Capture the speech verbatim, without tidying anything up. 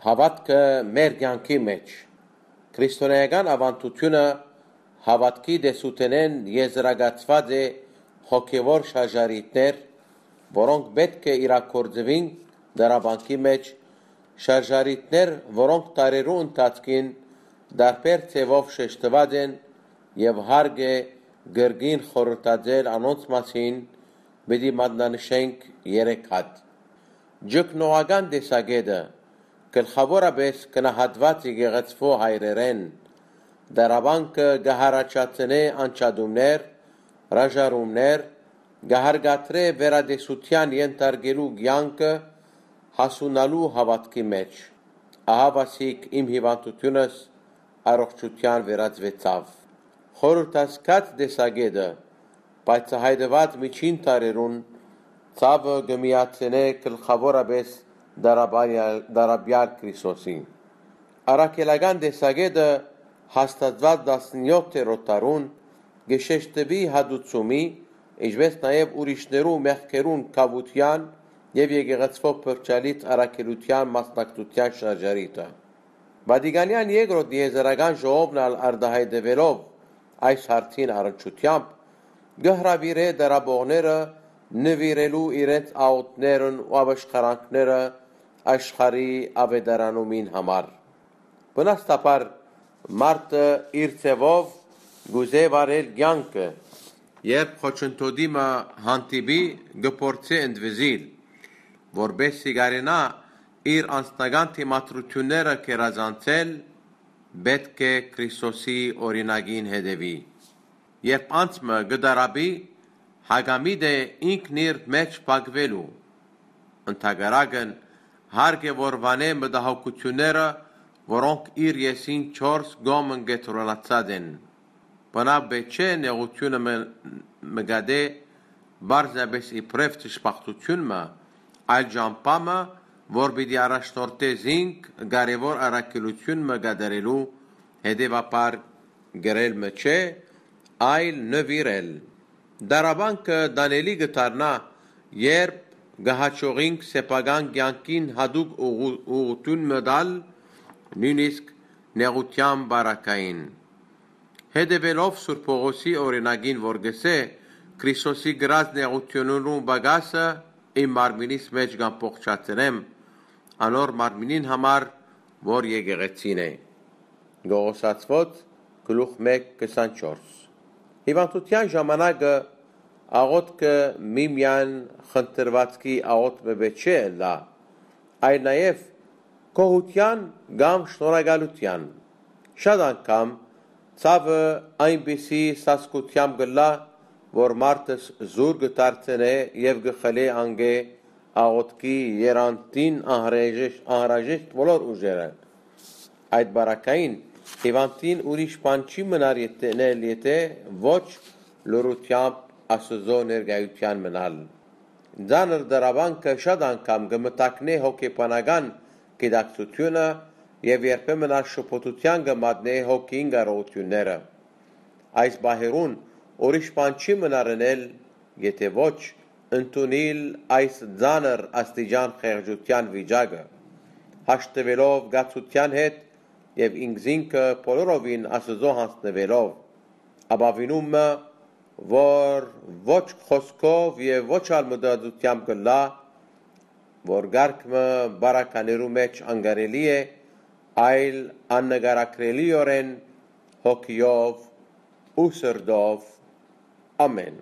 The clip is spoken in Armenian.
Հավատքը մեր կյանքի մեջ քրիստոնեական ավանդությունը հավատքի դեսուտենեն եզրակացված է հոգևոր շարժարիտներ, որոնք պետք է իրագործվին դարաբանքի մեջ, շարժարիտներ, որոնք տարերու ընթացքին դարբեր ձևով շեշտված են եւ հարկ է գրգին խորհրդածել անոնց մասին, պիտի մատնանշենք երեք հատ։ Ջկնողական տեսակետը գլխավորապես կնահատված եկեղեցու հայրերեն, դարաբանքը գահարաչացնե անջատումներ, հրաժարումներ, գահարգատրե վերադեսության ենթարկելու կյանքը հասունալու հավատքի մեջ։ Ահա վասիկ իմ հիվանդությունս առողջության վերածվեցավ։ Խորհրդածկած տեսակետը բացահայտված միջին տարերուն ցավը գմիացնե գլխավորապես դարաբյալ Քրիստոսին։ Առաքելական տեսակետը հաստատված տասնյոթերորդ դարուն գշեշտվի հադուցումի, ինչպես նաև ուրիշներու մեղքերուն կավության եւ եկեղեցվով փրկչալից առաքելության մասնակցության շարժարիտը։ Վատիկանյան երկրորդ եզրական ժողովն արտահայտվելով այս հարցին առնչությամբ գհրավիրե դարաբողները նվիրելու իրենց աղոթներն ու ապաշխարանքները աշխարհի ավետարանումին համար։ Բնաստաբար մարդը իր ձևով գուզե վարել կյանքը, երբ խոչընդոտիմը հանդիպի գփորձե ընդվզիլ, որբեսի կարենա իր անձնական թիմադրությունները կերազանցել, պետք է Քրիստոսի օրինակին հետևի։ Երբ անցմը գդարաբի, հագամիտ է ինքն իր մեջ փակվելու։ Ընդհակառակն հարկ է որ վանե մտահոգությունները, որոնք իր եսին չորս գոմն գետրոնացած են։ Բնավ բեչե նեղությունը մգադե բարձաբես իբրև ճշմարտությունը, այլ ճամփամը, որ պիտի առաջնորդե զինք կարևոր առաքելություն մգադարելու, հետևաբար գրել մչե, այլ նվիրել։ Դարաբանքը դանելի գտարնա, երբ գահաճողինք սեփական կյանքին հadoop ուղղություն մտալ, նույնիսկ նեղության բարակային։ Հետևելով Սուրբ Պողոսի օրինակին, որ գսե Քրիստոսի գրած նեղություններու բագասը իմ մարմինիս մեջ կամփոխացնեմ, անոր մարմինին համար, որ եկեղեցին է։ Գողոսացված գլուխ մեկ քսանչորս։ Հիվանդության ժամանակը աղոթքը միմյան խնդրվածքի աղոթքը չէ լա, այլ նաև կողության կամ շնորհակալության։ Շատ անգամ ցավը այնպիսի սասկությամբ գլա, որ մարդս զուր գտարցնե եւ գխլե անգե աղոթքի երանտին անհրաժեշտ բոլոր ուժերը։ Այդ բարակային հիվանդին ուրիշ բան չի մնար ետնել, եթե ոչ լրությամբ Աստծո ներկայության մնալ։ Ձանր դարաբանքը շատ անգամ գմտակնե հոգեբանական գիտակցությունը եւ երբեմն շփոթության գմատնե հոգին կարողությունները։ Այս բահերուն ուրիշ բան չի մնարնել, եթե ոչ ընդունել այս ձանր աստիճան խեղճության վիճակը, հաշտվելով գացության հետ եւ ինքզինքը բոլորովին Աստծո հանձնվելով, ապավինումը, որ ոչ խոսքով եւ ոչ ալմդադությամբ կլա, որ գարկը բարականերու մեջ անգարելի է, այլ աննկարագրելիորեն հոգիով ու սրտով։ Ամեն։